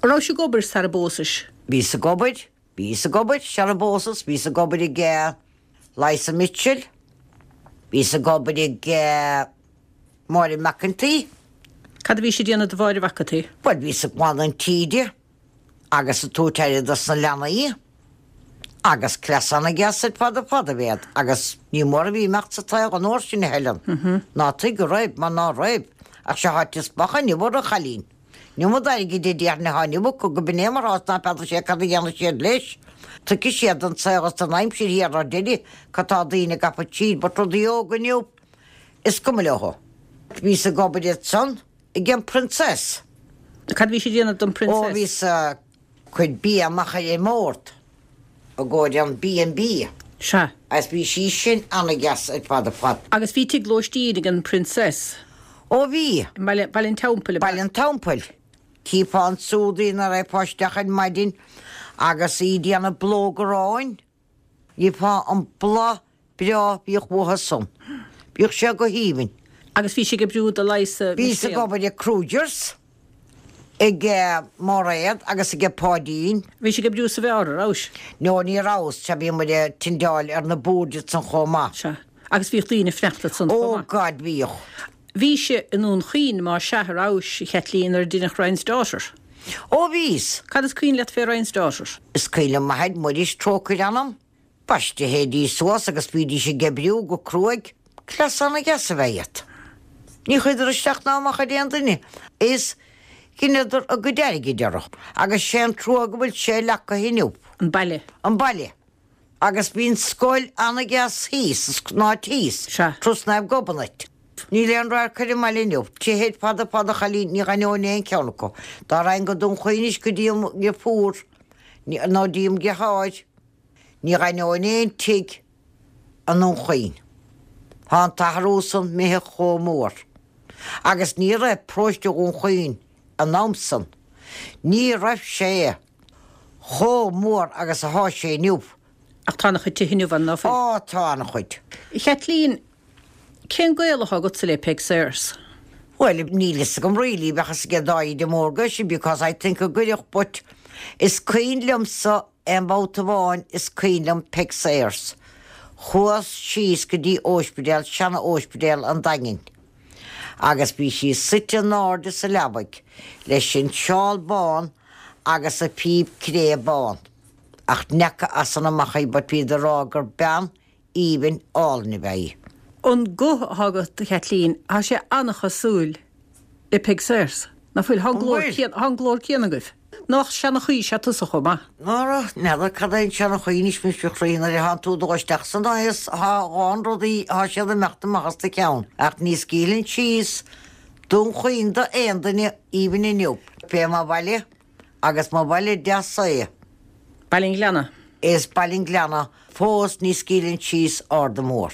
Speaker 1: An rabhais ag obair sara bpósais?
Speaker 3: Bhíos ag obair, bhíos ag obair sara bpósas, bhíos ag obair ag Liza Mitchell, bhíos ag obair ag Máire McEntee.
Speaker 1: Cad a bhís ag déanamh do Mháire McEntee?
Speaker 3: Bhuel, bhíos ag glanadh an tí di agus ag tabhairt aire dos na leanaí. Agus cleas ana-dheas ar fad ar fad ab ea iad agus ní mór a bhí imeacht sa tsaol an uair sin, a Helen. Ná tuig go raibh, mar ná raibh, ach seo áit is bacha inniu a chailín. An iomad airgid a déarfainn atá inniu acu go b'in é mar atá is ná feadar sé cad a dhéanfaidh siad leis. Tuigfidh siad don tsaol is don aimsir thiar ar deireadh cad tá daoine ag gafa tríd but rudaí óga inniu is cuma leo. Bhíos ag obair ansan ag an Princess.
Speaker 1: Cad a bhís ag déanamh don Princess?
Speaker 3: Ó bhíos ag cur bia amach ar an mbord i gcomhair an B and B.
Speaker 1: Sea.
Speaker 3: Agus bhí sí sin ana-dheas ar fad ar fad.
Speaker 1: Agus bhí tigh lóistín ag an Princess.
Speaker 3: Ó bhí.
Speaker 1: I mBaile, Baile an Teampaill, ab ea?
Speaker 3: Baile an Teampaill. Chífeá ansúd í nuair a raghfá isteach ar maidin agus í ag déanamh blóg aráin. Gheofá an blas breá bhíodh uathu san. Bhíodh sé go haoibhinn.
Speaker 1: Agus bhís ag oibriú do Liza
Speaker 3: Bhíos ag
Speaker 1: Mistéal.
Speaker 3: obair ag Kruger's, ag Máiréad agus ag Páidín.
Speaker 1: Bhís ag oibriú sa bheár, a rabhais?
Speaker 3: No, ní rabhas, sea bhí muid ag tindeáil ar na boird ansan chomh maith.
Speaker 1: Sea. Agus bhíodh daoine ag fanacht ansan chomh
Speaker 3: Ó
Speaker 1: maith.
Speaker 3: God, bhíodh.
Speaker 1: Bhís i nDún Chaoin, má sea, a rabhais, a Chaitlín, nuair a deineadh Ryan's Daughter?
Speaker 3: Ó bhíos.
Speaker 1: Cad is cuimhin leat fé Ryan's Daughter?
Speaker 3: Is cuimhin liom m'athair, Muiris, trócaire orm. B'aisteach théidís suas agus bhídís ag oibriú go cruaidh. Cleas ana-dheas ab ea iad. Ní chuireadar isteach ná amach ar aon duine is dheineadar a gcuid airgid orthu. Agus sé an trua go bhfuil sé leagtha inniu.
Speaker 1: An baile.
Speaker 3: An baile. Agus bhí an scoil ana-dheas thíos, an áit thíos,
Speaker 1: Sea.
Speaker 3: trasna ag Gobnait. Níl aon radharc ar an mbaile inniu. Tithe ar fad ar fad a chailín, ní dh'aithneoinn aon cheann acu. Dá raghainn go Dún Chaoin anois go dtí mo dheirfiúr, nó dtí mo dheartháir, ní dh'aithneoinn aon tigh i nDún Chaoin. Tá an t-athrú san imithe chomh mór. Agus ní raibh paróiste Dhún Chaoin an am san, ní raibh sé chomh mór agus athá sé inniu.
Speaker 1: Ach tá ana-chuid tithe inniu ann, ná fuil?
Speaker 3: Á, tá ana-chuid.
Speaker 1: A Chaitlín, cén gaol athá agatsa le Peig Sayers?
Speaker 3: Bhuel, níl fhios agam really, bheadh fhios ag Dáibhidhe Mór sin because I think go gcuirfeadh but is cuimhin liomsa aon bhabhta amháin is cuimhin liom Peig Sayers. Chuas síos go dtí óispidéal, seana-óispidéal an Daingin. Agus bhí sí suite in airde sa leabaidh leis an seál bán agus a phíb cré bán. Ach n'fheaca as san amach í but bhíodar ag rá gur bean aoibhinn álainn ab ea í.
Speaker 1: An guth athá agat, a Chaitlín, thá sé an-chosúil le Peig Sayers, ná fuil? Thá an glór céanna, thá an glór céanna agaibh. Nách seanchaí is ea tusa chomh maith?
Speaker 3: Ara, n'fheadar cad é an seanchaí anois muis a chroí, nuair a thánn tú ag dul isteach san aos, thá a lán rudaí, thá siad ag imeacht amach as do cheann. Ach ní scaoilfinn síos Dún Chaoin do aon duine, even inniu. Fé mo bhaile, agus mo bhaile deas é.
Speaker 1: Baile an Ghleanna.
Speaker 3: Is Baile an Ghleanna fós ní scaoilfinn síos Arda Mór.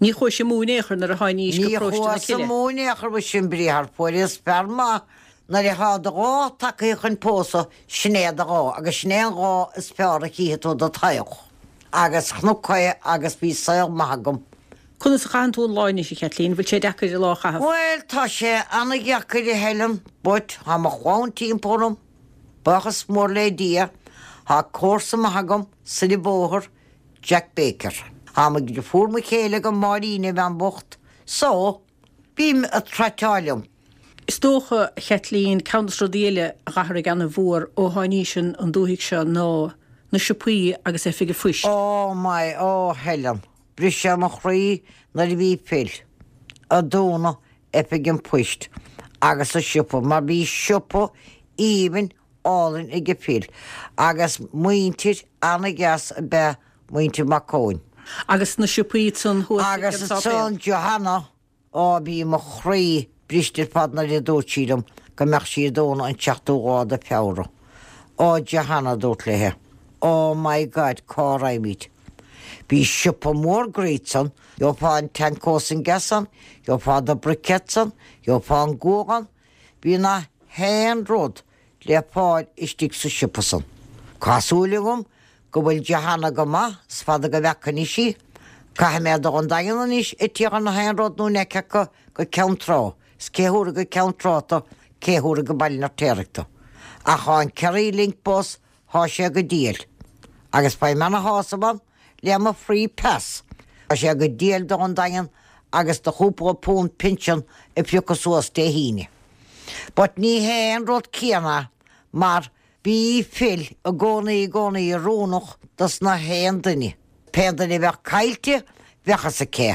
Speaker 1: Ní chuais amú in aon chor nuair a tháinís go
Speaker 3: Ní
Speaker 1: Paróiste na
Speaker 3: chuas
Speaker 1: Cille.
Speaker 3: amú in aon chor mhuise an briathar fuaireas fear maith nuair athá do dháta tagtha chun pósadh sin é do dháta agus sin é an dáta is fearr a chífidh tú i do shaol. Agus chonac é agus bhí saol maith agam.
Speaker 1: Conas a chaitheann tú an lá anois, a Chaitlín? Bhfuil sé deacair an lá a chaitheamh?
Speaker 3: Bhuel, tá sé ana-dheacair, a Helen, but tá mo chlann timpeall orm, buíochas mór le Dia, tá comharsa maith agam soir an bóthar, Jack Baker. Tá mo dheirfiúr mo chéile agam, Máirín, an bhean bhocht, so, bím ag traiteáil liom.
Speaker 1: Is dócha, a Chaitlín, ceann dos rudaí eile a dh'athraigh ana-mhór ó tháinís an dúthaigh seo ná na siopaí agus oifig an phoist.
Speaker 3: Oh my, oh Helen. Bhris sé mo chroí nuair a bhí Phil ag dúnadh oifig an phoist agus an siopa mar bhí siopa aoibhinn álainn aige Phil agus muintir ana-dheas ab ea muintir Mac Eoin.
Speaker 1: Agus na siopaí ansan thuas ag an
Speaker 3: Agus
Speaker 1: sáipéal.
Speaker 3: ansan Johanna Á, bhí mo chroí briste ar fad nuair a dúirt sí liom go mbeadh sí ag dúnadh an tseachtú lá de Feabhra. Á, Johanna, a dúrt léithe, oh my God, cá raghaimid? Bhí siopa mór groí ann, gheofá an t-anchós an gas ann, gheofá do briquettes ann, gheofá an gual ann, bhí na haon rud le fáil istigh sa siopa san. Tá súil agam go bhfuil Johanna go maith, is fada go bhfeaca anois í. Caithfidh mé dul 'on Daingean anois ag tíocht na haon rud nó an fheice acu go Ceann Trá, is cé thabharfaidh go Ceann Trá tú, cé thabharfaidh go Baile an Fheirtéaraigh tú. Ach thá an Kerry Link bus, thá sé go diail. Agus faighim ana-shásamh ann le mo free pass. Tá sé go diail dul 'on Daingean agus do chúpla punt pinsean a phiocadh suas Dé hAoine. But ní hé an rud céanna mar. Bhí Phil i gcónaí i gcónaí oiriúnach dos na haon duine. Pé duine a bheadh caillte, bheadh fhios aici.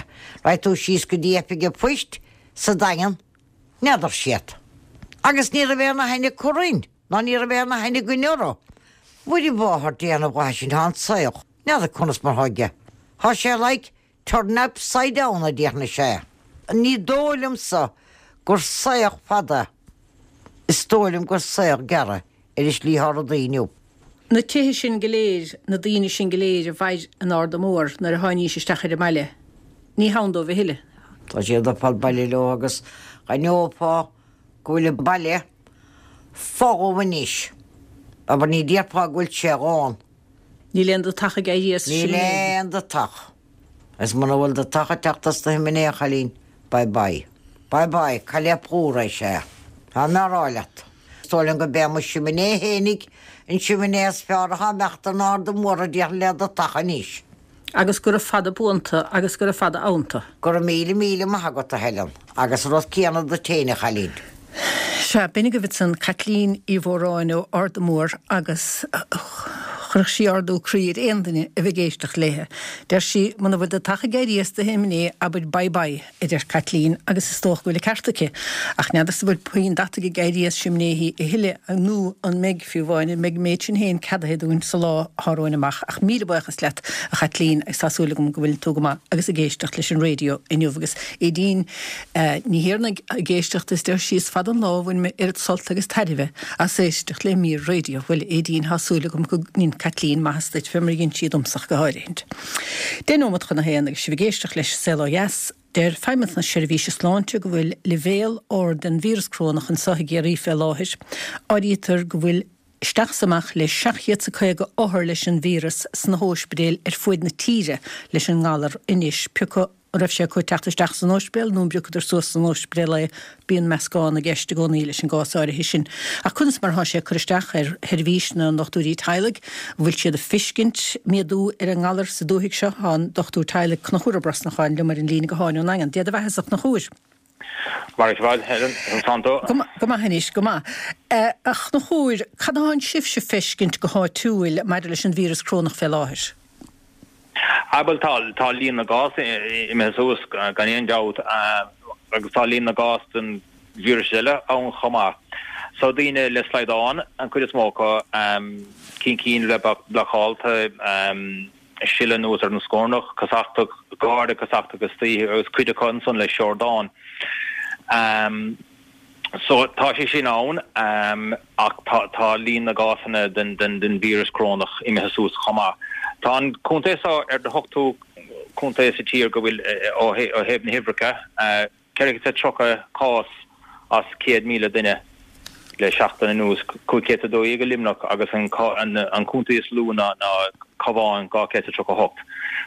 Speaker 3: Raghadh tú síos go dtí oifig an phoist sa Daingean, n'fheadar siad. Agus ní raibh aon aithne acu orainn, ná ní raibh aon aithne againn orthu. Mhuire mháthair Dé na bhFlaitheas sin, tá an saol, n'fheadar conas mar thá aige. Thá sé like turn upside down a déarfainn sé. Ní dóigh liomsa gur saol fada, is dóigh liom gur saol gearr ar an slí thá rudaí inniu.
Speaker 1: Na tithe sin go léir, na daoine sin go léir a mhair in Arda Mór nuair a tháinís isteach ar an mbaile, ní hann dóibh a thuilleadh.
Speaker 3: Tá siad ag fáil baile leo agus d'aithneofá go bhfuil an baile folamh anois. Abair ní déarfá go bhfuil sé lán.
Speaker 1: Níl aon deatach ag éirí as
Speaker 3: an simléar. Níl aon deatach. Is muna bhfuil deatach ag teacht as do shiminé, a chailín, bye bye. Bye bye, cailleadh a plúr é, sea. Tá mé á rá leat. Is dóigh liom go b'é mo shiminé fhéinig an siminé is fearr atá imeachta in Arda Mór a déarfainn le deatach anois.
Speaker 1: Agus gura fada buanta agus gura fada abhanta.
Speaker 3: Go raibh míle míle maith agat, a Helen, agus an rud céanna duit féin, a chailín.
Speaker 1: Sea, b'in agaibh ansan Caitlín Uí Mhóráin ó Arda Mór agus chuirfeadh sí ardú croí ar aon duine a bheith ag éisteacht léithe. Deir sí, muna bhfuil deatach ag éirí as do shiminé, abair bye bye, a deir Caitlín, agus is dócha go bhfuil an ceart aici. Ach n'fheadarsa an bhfuil puinn deataigh ag éirí as simnéithí a thuilleadh nó an mbeidh, fiú amháin, an mbeidh an méid sin féin ceadaithe dúinn sa lá atá romhainn amach. Ach míle buíochas leat, a Chaitlín, agus tá súil agam go bhfuil tú go maith agus ag éisteacht leis an raidió inniu. Agus Aedín Ní Thiarnaigh ag éisteacht is deir sí is fada an lá ó bhain mé oiread sult agus tairbhe as éisteacht le mír raidió. Bhuel, a Aedín, tá súil agam go ndein Caitlín maitheas duit, fé mar a dhein sí domsa ach go háirithint. 10 nóimeat chun a haon agus sibh ag éisteacht leis Saol Ó Dheas. Deir Feidhmeannas na Seirbhíse Sláinte go bhfuil leibhéal ard den víreas corónach anseo i gCiarraí fé láthair. Áirítear go bhfuil isteach is amach le 750 othar leis an víreas sna hóispidéil ar fuaid na tíre leis an ngalar anois. Pioca an raibh sé acu ag teacht isteach san óispidéal nó an bpiocadar suas san óispidéal é, bíonn meascán i gceist i gcónaí leis an gcás áirithe sin. Ach conas mar atá sé ag cur isteach ar sheirbhís na ndochtúirí teaghlaigh? An bhfuil siad ag feiscint méadú ar an ngalar sa dúthaigh seo? Tá an Dochtúir Teaghlaigh Conchúr Ó Brosnacháin liom ar an líne gutháin ón nDaingean. Dia do bheatha-sa, a Chonchúir.
Speaker 4: Mar is bhfad, Helen, an Santo.
Speaker 1: Go maith anois, go maith. A Chonchúir, cad atánn sibhse ag feiscint go háitiúil maidir leis an víreas corónach fé láthair?
Speaker 4: Ah bhuel tá, tá líon na gcás imithe suas gan aon dabht agus tá líon na gcás den víreas eile ann chomh maith. So daoine le slaghdán an cuid is mó acu, cinn cinn le blocálta, sileadh anuas ar an scornach, casachtach, gáire casachtach istoíche agus cuid acu ansan le siordán. So tá sé sin ann ach tá tá líon na gcásanna den den den víreas corónach imithe suas chomh maith. Tá an contae seo ar an ochtú contae sa tír go bhfuil ó thaobh na huimhreacha, 430 cás as 100,000 duine le seachtain anuas, 512 i Luimneach agus an an contae is lú ná ná Cabhán 238.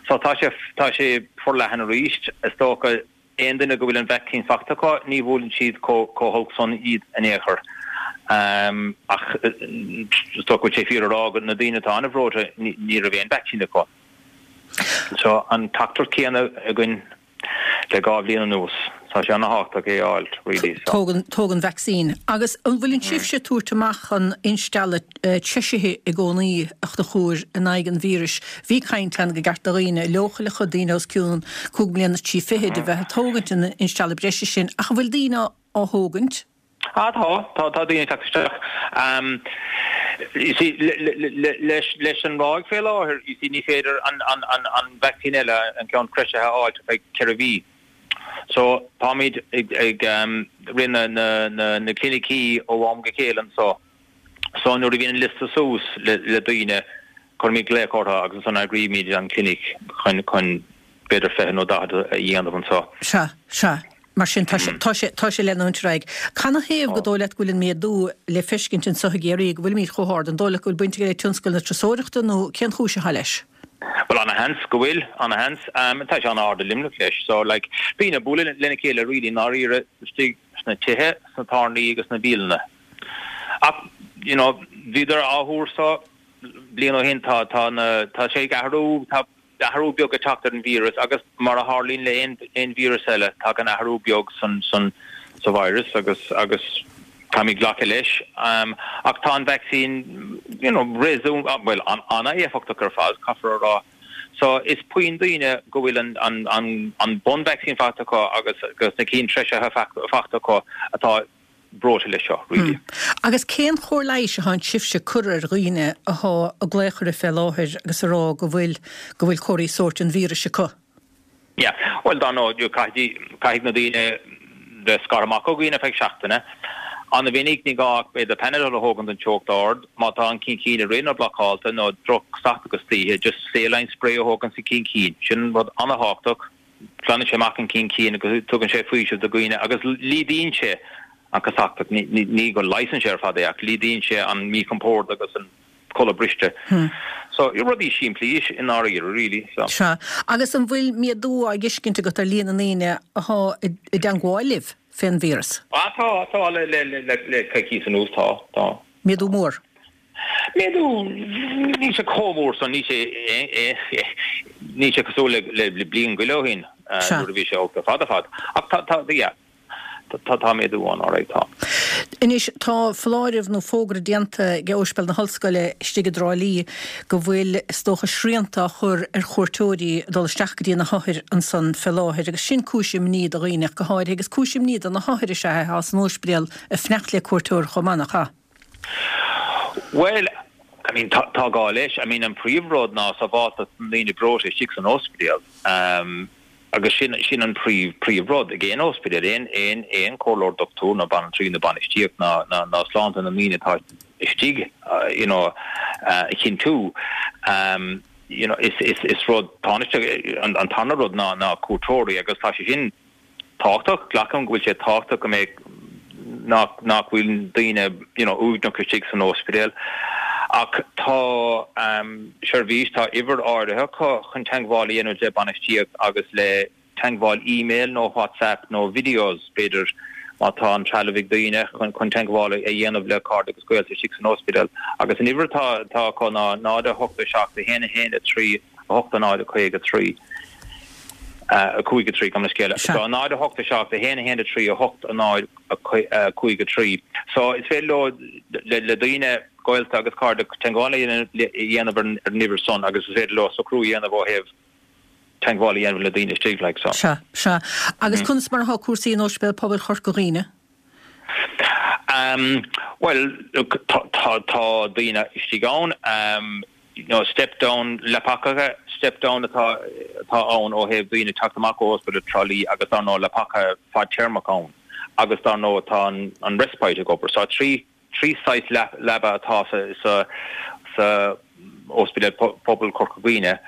Speaker 4: So tá sé tá sé forleathan arís. Is dócha Aon duine go bhfuil an vacsaín faighte acu, ní bhuaileann siad chomh holc san iad in aon chor. Ach is dócha go bhfuil sé fíor a rá go na daoine atá an-bhreoite, ní raibh aon vacsaín acu. So an teachtaireacht céanna againn le 2 bhliain anuas. Tá sé an-thábhachtach é a fháil, really.
Speaker 1: Tóg an, tóg an vacsaín. Agus an bhfuileann sibhse ag tabhairt amach an instealladh treisithe i gcónaí, a Chonchúir, in aghaidh an víris. Bhí caint ann gur cheart do dhaoine leochaileacha, daoine os cionn cúig mbliana is trí fichid, a bheith ag tógaint an instealladh breise sin, ach an bhfuil daoine á thógaint?
Speaker 4: Ah tá, tá, tá daoine ag teacht isteach. You see, leis, leis an ráig fé láthair, you see, ní féidir an, an, an, an vacsaín eile, an ceann treisithe a fháilt ar feadh ceithre mhí. So, táimid ag, ag rith na, na, na, na clinicí ó am go chéile anso. So nuair a bhíonn an liosta suas le daoine, cuirimid glaoch orthu agus ansan eagraímid an clinic chun chun b'fhéidir 20 nó 40 a dhéanamh
Speaker 1: anso. Sea, sea. Mar sin tá sé, tá sé, tá sé leanúint ar aghaidh. Canathaobh gur dóigh leat go bhfuil an méadú le feiscint anso i gCiarraí, go bhfuilimid chomh hard? An dóigh leat go bhfuil baint aige le tionscal na turasóireachta nó cén chúis atá leis?
Speaker 4: Bhuel, ana-sheans go bhfuil, ana-sheans. Tá sé an-ard i Luimneach leis. So, like, daoine ag bualadh lena chéile really i ndáiríre istigh sna tithe, sna tábhairní agus sna bialanna. Ach, you know, bhíodar á thuar so bliain ó shin, tá, tá na, tá sé ag athrú, tá athrú beag ag teacht ar an víreas agus mar a tharlaíonn le aon, aon víreas eile, tagann athrú beag san, san, sa virus agus, agus. Caithfimid glacadh leis. Ach tá an vacsaín, you know, réasún, bhuel, an-éifeachtach ar fad, caithfear a rá. So, is puinn daoine go bhfuil an, an, an, an bunvacsaín faighte acu agus, agus na cinn treisithe faighte acu atá breoite leis seo, really.
Speaker 1: Agus cén chóir leighis atánn sibhse ag cur ar dhaoine athá ag glaoch oraibh fé láthair agus ag rá go bhfuil, go bhfuil comharthaí sóirt an víris acu?
Speaker 4: Yeah. Bhuel, dar ndóigh, caithfidh, caithfidh na daoine bheith scartha amach ó dhaoine ar feadh seachtaine. An-mhinic, ní gá ach b'fhéidir Panadol a thógaint don teocht ard. Má tá an ceann cinn ag rith nó blocáilte nó droch-chasachtach istoíche, just saline spray a thógaint sa cheann cinn. Sin rud an-thábhachtach. Glanann sé amach an ceann cinn agus tugann sé faoiseamh do dhaoine agus laghdaíonn sé an chasachtach. Ní go leigheasann sé ar fad é ach laghdaíonn sé an míchompord agus an. codladh briste. So, rudaí simplí i ndáiríre, really. So.
Speaker 1: Sea. Agus an bhfuil méadú á fheiscint agat ar líon na ndaoine athá i dteangmháil libh fén víreas?
Speaker 4: Ah, tá, tá, le, le, le, le coicís anuas, tá, tá.
Speaker 1: Méadú mór?
Speaker 4: Méadú, níl sé chomh mór san, níl sé, níl sé cosúil le, le bliain go leith ó shin, nuair a bhí sé olc ar fad ar fad. Ach tá, tá, yeah. Tá méadú ann, alright, tá.
Speaker 1: Anois, tá foláireamh nó fógra déanta ag Ospidéal na hOllscoile istigh i dTrá Lí go bhfuil, is dócha, srianta á chur ar chuairteoirí ag dul isteach go dtí na hothair ansan fé láthair agus sin cúis imní do dhaoine ach go háirithe agus cúis imní do na hothair is ea é atá san ospidéal ag fanacht le cuairteoir chomh maith, nach ea?
Speaker 4: Bhuel, I mean, tá gá leis. I mean, an príomhrud ná sábháilteacht na ndaoine breoite istigh san ospidéal. Agus sin, sin an príomh, príomh rud ag aon ospidéal, aon, aon, aon comhairleoir dochtúir nó banaltraí nó bainistíocht ná, ná, ná sláinte na ndaoine atá istigh, you know, a chinntiú. You know, is, is, is rud tánaisteach, an, an tarna rud ná, ná cuairteoirí agus tá sé sin tábhachtach, glacaim go bhfuil sé tábhachtach go mbeidh, nach, nach bhfuil daoine, you know, uaigneach istigh san ospidéal. Ach tá, seirbhís, tá uimhir áirithe acu chun teagmháil a dhéanamh le bainistíocht agus le teagmháil email nó WhatsApp nó videos, b'fhéidir, má tá an trealamh ag daoine chun chun teagmháil a dhéanamh le cairde agus gaolta istigh san ospidéal. Agus an uimhir atá atá acu ná 0 8 7 1 1 3 8 0 53 5 3, gabh mo leithscéal. So 0 8 7 1 1 3 8 0 5 3. So is féidir leo le le daoine gaolta agus cairde teagmháil a dhéanamh ar an uimhir san agus is féidir leo socrú a dhéanamh ó thaobh teagmháil a dhéanamh le daoine istigh like
Speaker 1: so. Sea, sea. Agus conas mar atá cúrsaí in Ospidéal Pobail Chorca Dhuibhne?
Speaker 4: Um, bhuel, look, tá, tá, tá daoine istigh ann, um, you know, step down leapacha, step down atá, atá ann ó thaobh daoine teacht amach ó Ospidéal Trá Lí agus dar ndóigh leapacha fadtéarmach ann agus dar ndóigh tá an, an respite ag obair. So 3 3 saghas leaba atá sa sa Ospidéal Pobail Chorca Dhuibhne.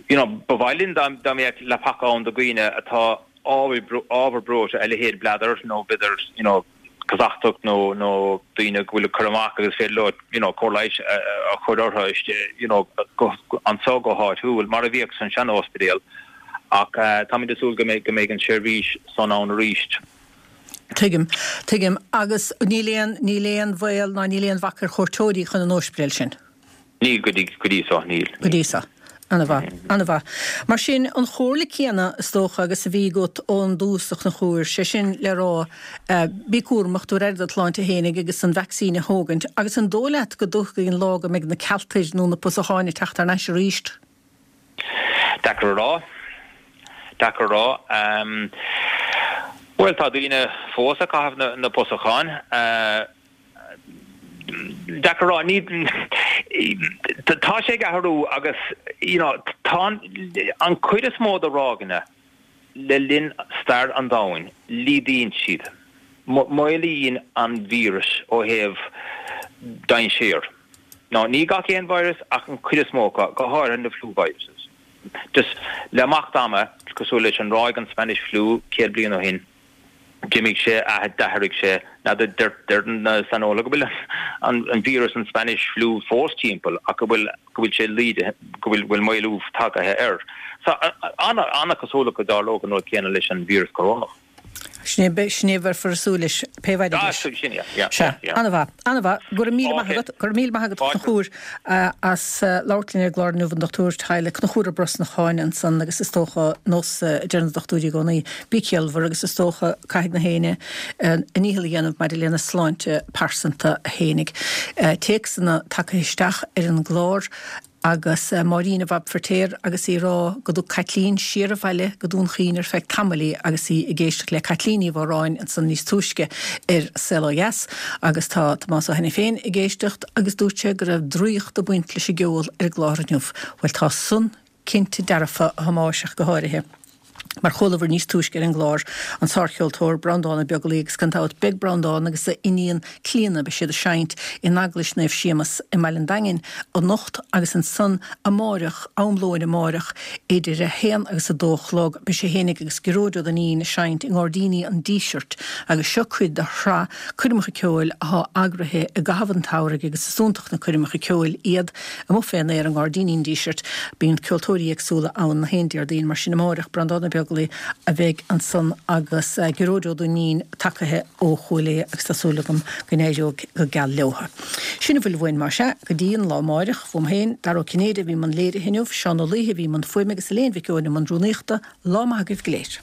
Speaker 4: You know, ba mhaith linn dá mbeadh leapacha ann do dhaoine atá ábhar breoite, a leithéid bladder nó b'fhéidir, you know, casachtach nó nó daoine go bhfuil ag cur amach agus féidir leo, you know, cóir leighis a chur orthu, you know, anseo go háitiúil, mar a bhíodh san sean-ospidéal. Ach táimid ag súil go mbeidh go mbeidh an seirbhís san ann arís.
Speaker 1: Tuigim. Tuigim. Agus níl aon, níl aon bhaol ná níl aon bhac ar chuairteoirí chun an óispidéil sin?
Speaker 4: Níl go dtí, go dtí so, níl.
Speaker 1: Go dtí so. Ana-mhaith. Ana-mhaith. Mar sin, an chomhairle céanna, is dócha, agus a bhí agat ón dtús, a Chonchúir, sé sin le rá, bí cúramach, tabhair aire do do shláinte fhéinig agus an vacsaín a thógaint. Agus an dóigh leat go dtiocfaidh an lá go mbeidh na cealtair nó na pusacháin ag teacht thar n-ais arís?
Speaker 4: Deacair a rá. Deacair a rá. Bhuel, tá daoine fós ag caitheamh na pusacháin. Deacair a rá. Ní, tá sé ag athrú agus, you know, tá an chuid is mó de ráigeanna le linn stair an domhain, laghdaíonn siad, maolaíonn an víreas ó thaobh dainséar. Now, ní gach aon virus ach an chuid is mó acu, go háirithe na flu viruses. Just le imeacht ama, cosúil leis an ráig an Spanish flu 100 bliain ó shin, d'imigh sé, d'athraigh sé. Now, deir na saineolaithe go bhfuil an víreas an Spanish flu fós timpeall ach go bhfuil go bhfuil sé laghdaithe, go bhfuil bhfuil maolú tagaithe air. So, an-chosúlacht go dtarlódh an rud céanna leis an víreas corónach.
Speaker 1: Sin é, sin é a bheifear ag súil leis, pé mhaith leis.
Speaker 4: Sin é, yeah, yeah, yeah.
Speaker 1: An-mhaith, an-mhaith. Go raibh míle maith agat, go raibh míle maith agat a Chonchúir as labhairt linn ar an gclár inniu, an dochtúir teaghlaigh Conchúr Ó Brosnacháin ansan agus is dócha, nós a deir na dochtúirí i gcónaí, bí ciallmhar agus is dócha caithfidh na héinne a ndícheall a dhéanamh maidir lena sláinte pearsanta fhéinig. Téacsanna tagtha isteach ar an gclár. Agus Máirín i bhFab Feirtéar agus í ag rá go dtug Caitlín siar abhaile go Dún Chaoin ar feadh tamaill í agus í ag éisteacht le Caitlín Ní Mhóráin ansan níos túisce ar Saol Ó Dheas. Agus tá Tomás Ó hAiniféin ag éisteacht agus dúirt sé go raibh draíocht ag baint leis an gceol ar an gclár inniu. Bhuel tá san cinnte dearfa a Thomáis ach go háirithe. Mar chualabhair níos túisce ar an gclár, an sárcheoltóir Breandán Ó Beaglaoi agus gan dabht beidh Breandán agus a iníon Clíona, beidh siad ag seinnt in Eaglais Naomh Séamus i mBaile an Daingin anocht agus ansan amáireach, am lóin amáireach, idir a haon agus a dó a chlog, beidh sé fhéinig agus Gearóid Ó Duinnín ag seinnt i nGairdíní an Dísirt agus seo cuid de shraith coirmeacha ceoil athá eagraithe i gcaitheamh an tsamhraidh agus is iontach na coirmeacha ceoil iad. Amuigh fén aer i nGairdíní an Dísirt, bíonn ceoltóirí éagsúla ann na haon Déardaoin, mar sin amáireach, Breandán Ó Beaglaoi a bheidh ansan agus Gearóid Ó Duinnín tacaithe ó Chúil Aodha agus tá súil agam go n-éireoidh go geal leotha. Sin a bhfuil uainn más ea, go dtí an lá amáireach, uaim féin, Dara Ó Cinnéide a bhí i mbun léirithe inniu, Seán Ó Laoithe a bhí i mbun fuaime agus Elaine Mhic Eoin i mbun rúnaíochta, lá maith agaibh go léir.